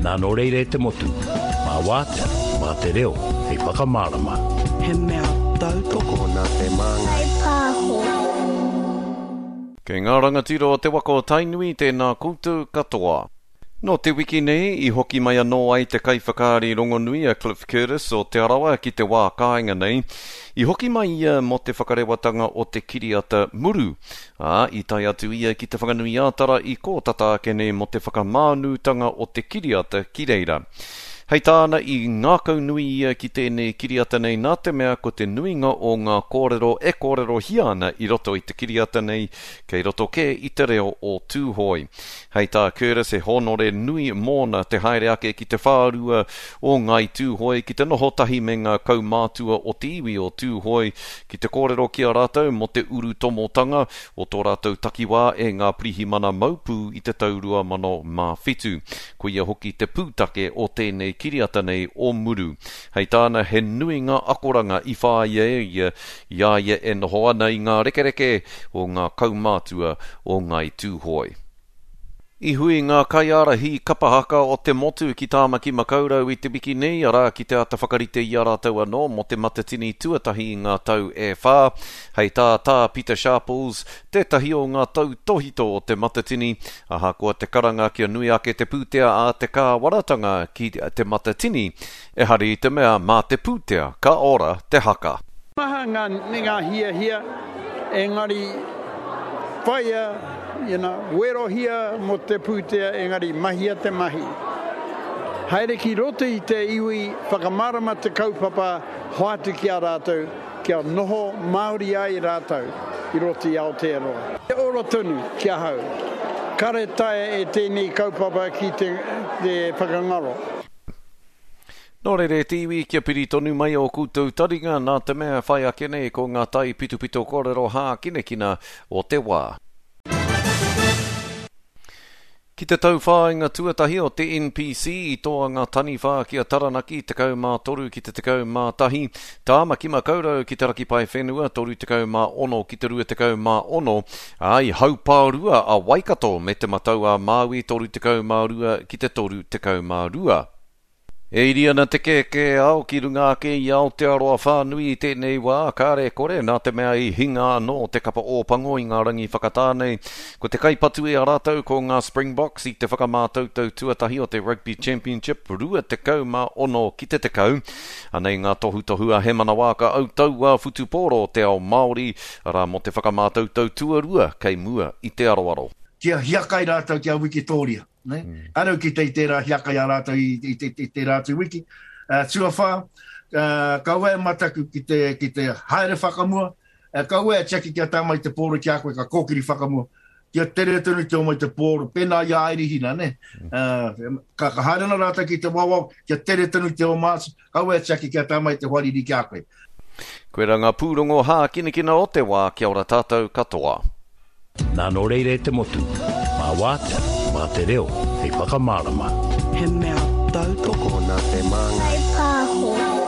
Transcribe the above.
Nā nō reira e te motu, mā Wātea, mā te reo, hei whakamārama. He mea tautoko nā Te Māngai Pāho. Kei ngā rangatira o te waka o Tainui tēnā koutou katoa. Nō te wiki nei i hoki mai anō ai te kaiwhakaari rongonui a Cliff Curtis o Te Arawa ki te wā kāinga nei. I hoki mai ia mō te whakarewatanga o te kiriata Muru, ā, i tae atu ia ki Te Whanganui-ā-Tara i kō tata ake nei mō te whakamānūtanga o te kiriata ki reira. Hei tāna, i ngākaunui ia ki tēnei kiriata nei nā te mea ko te nuinga o ngā kōrero e kōrerohia ana i roto i te kiriata nei kei roto kē i te reo o Tūhoe. Hei tā Curtis he hōnore nui mōna te haere ake ki te whārua o Ngāi Tūhoe ki te noho tahi me ngā kaumātua o te iwi o Tūhoe ki te kōrero ki a rātou mō te urutomotanga o tō rātou takiwā e ngā pirihimana maupū i te tau 2007. Koia hoki te pūtake o tēnei kiriata nei o Muru. Hei tāna he nui ngā akoranga i whāia e ia i a ia e noho ana i ngā rekereke o ngā kaumātua o Ngāi Tūhoe. I hui ngā kaiārahi kapa haka o te motu ki Tāmaki Makaurau i te wiki nei, arā, ki te āta whakarite i a rātou anō mō te Matatini tuatahi i ngā tau e whā. Hei tā Tā Pita Sharples, tētahi o ngā tautōhito o te Matatini, ahakoa te karanga kia nui ake te pūtea a te kāwanatanga ki te Matatini, ehara i te mea mā te pūtea ka ora te haka. Maha ngā ngā hiahia, engari whaia, you know, werohia mō te pūtea, engari mahia te mahi. Haere ki roto i te iwi, whakamārama te kaupapa, hoatu ki a rātou, kia noho Māori ai rātou i roto i Aotearoa. He ora tonu ki ahau. Kare taea e tēnei kaupapa ki te whakangaro. Nō reira e te iwi, kia piri tonu mai ō koutou taringa, nā te mea whai ake nei ko ngā taipitopito kōrero hākinakina o te wā. Ki te tauwhāinga tuatahi o te NPC i toa ngā taniwha ki a Taranaki 13 ki te 11, Tāmaki Makaurau ki te Raki Paewhenua 36 ki te 26, ā, i haupārua a Waikato me Te Matau-a-Māui 32 ki te 32. E iri ana te kēkēao ki runga ake i Aotearoa whānui i tēnei wā, kāre kore, nā te mea i hinga anō te kapa Ōpango i ngā rangi whakatā nei. Ko te kaipatu i a rātou ko ngā Springboks i te whakamātautau tuatahi o te Rugby Championship 26 ki te 10. Anei ngā tohutohu a Hemana Waaka Autaua Whutupōro o te ao Māori, arā mō te whakamātautau tuarua kei mua i te aroaro. Kia hiakai rātou ki a Wikitōria. Ne? Mm. Kāre au kite i tērā hiakai a rātou i, i, i, i tērā atu wiki. Uh, tuawhā, uh, kaua e mataku ki te, ki te haere whakamua, uh, kaua e tiaki kia tā mai te pōro ki a koe ka kōkiri whakamua. Kia tere tonu te oma i te pōro, pēnā i a Airihina, ne? Uh, ka, ka haere ana rātou ki te wawao, kia tere tonu te oma atu, kaua e tiaki kia tā mai te hoariri ki a koe. Koirā ngā pūrongo hākinakina o te wā, kia ora tātou katoa. Nā nō reira e te motu, mā Wātea, mā te reo, hei whakamārama. He mea tautoko nā Te Māngai Pāho.